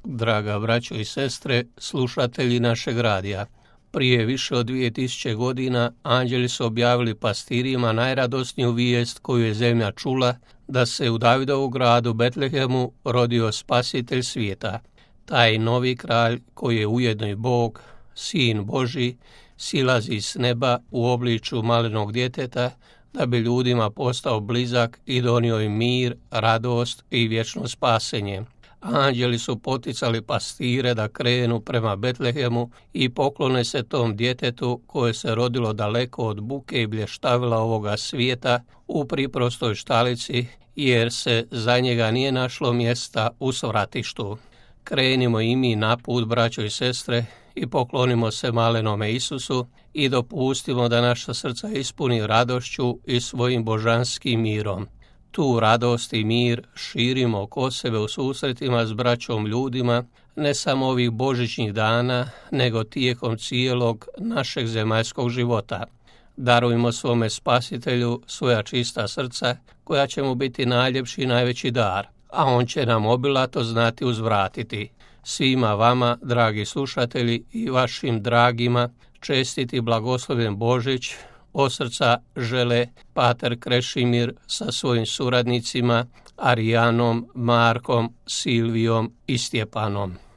draga braćo i sestre, slušatelji našeg radija. Prije više od 2000 godina anđeli su objavili pastirima najradosniju vijest koju je zemlja čula, da se u Davidovu gradu Betlehemu rodio spasitelj svijeta. Taj novi kralj, koji je ujedno i Bog, Sin Božji, silazi s neba u obličju malenog djeteta, da bi ljudima postao blizak i donio im mir, radost i vječno spasenje. Anđeli su poticali pastire da krenu prema Betlehemu i poklone se tom djetetu koje se rodilo daleko od buke i blještavila ovoga svijeta u priprostoj štalici, jer se za njega nije našlo mjesta u svratištu. Krenimo i mi na put, braćo i sestre, i poklonimo se malenome Isusu i dopustimo da naša srca ispuni radošću i svojim božanskim mirom. Tu radost i mir širimo oko sebe u susretima s braćom ljudima, ne samo ovih božićnih dana, nego tijekom cijelog našeg zemaljskog života. Darujmo svome Spasitelju svoja čista srca, koja će mu biti najljepši i najveći dar, a on će nam obilato znati uzvratiti. Svima vama, dragi slušatelji, i vašim dragima, čestiti blagoslovljen Božić od srca žele pater Krešimir sa svojim suradnicima Arijanom, Markom, Silvijom i Stjepanom.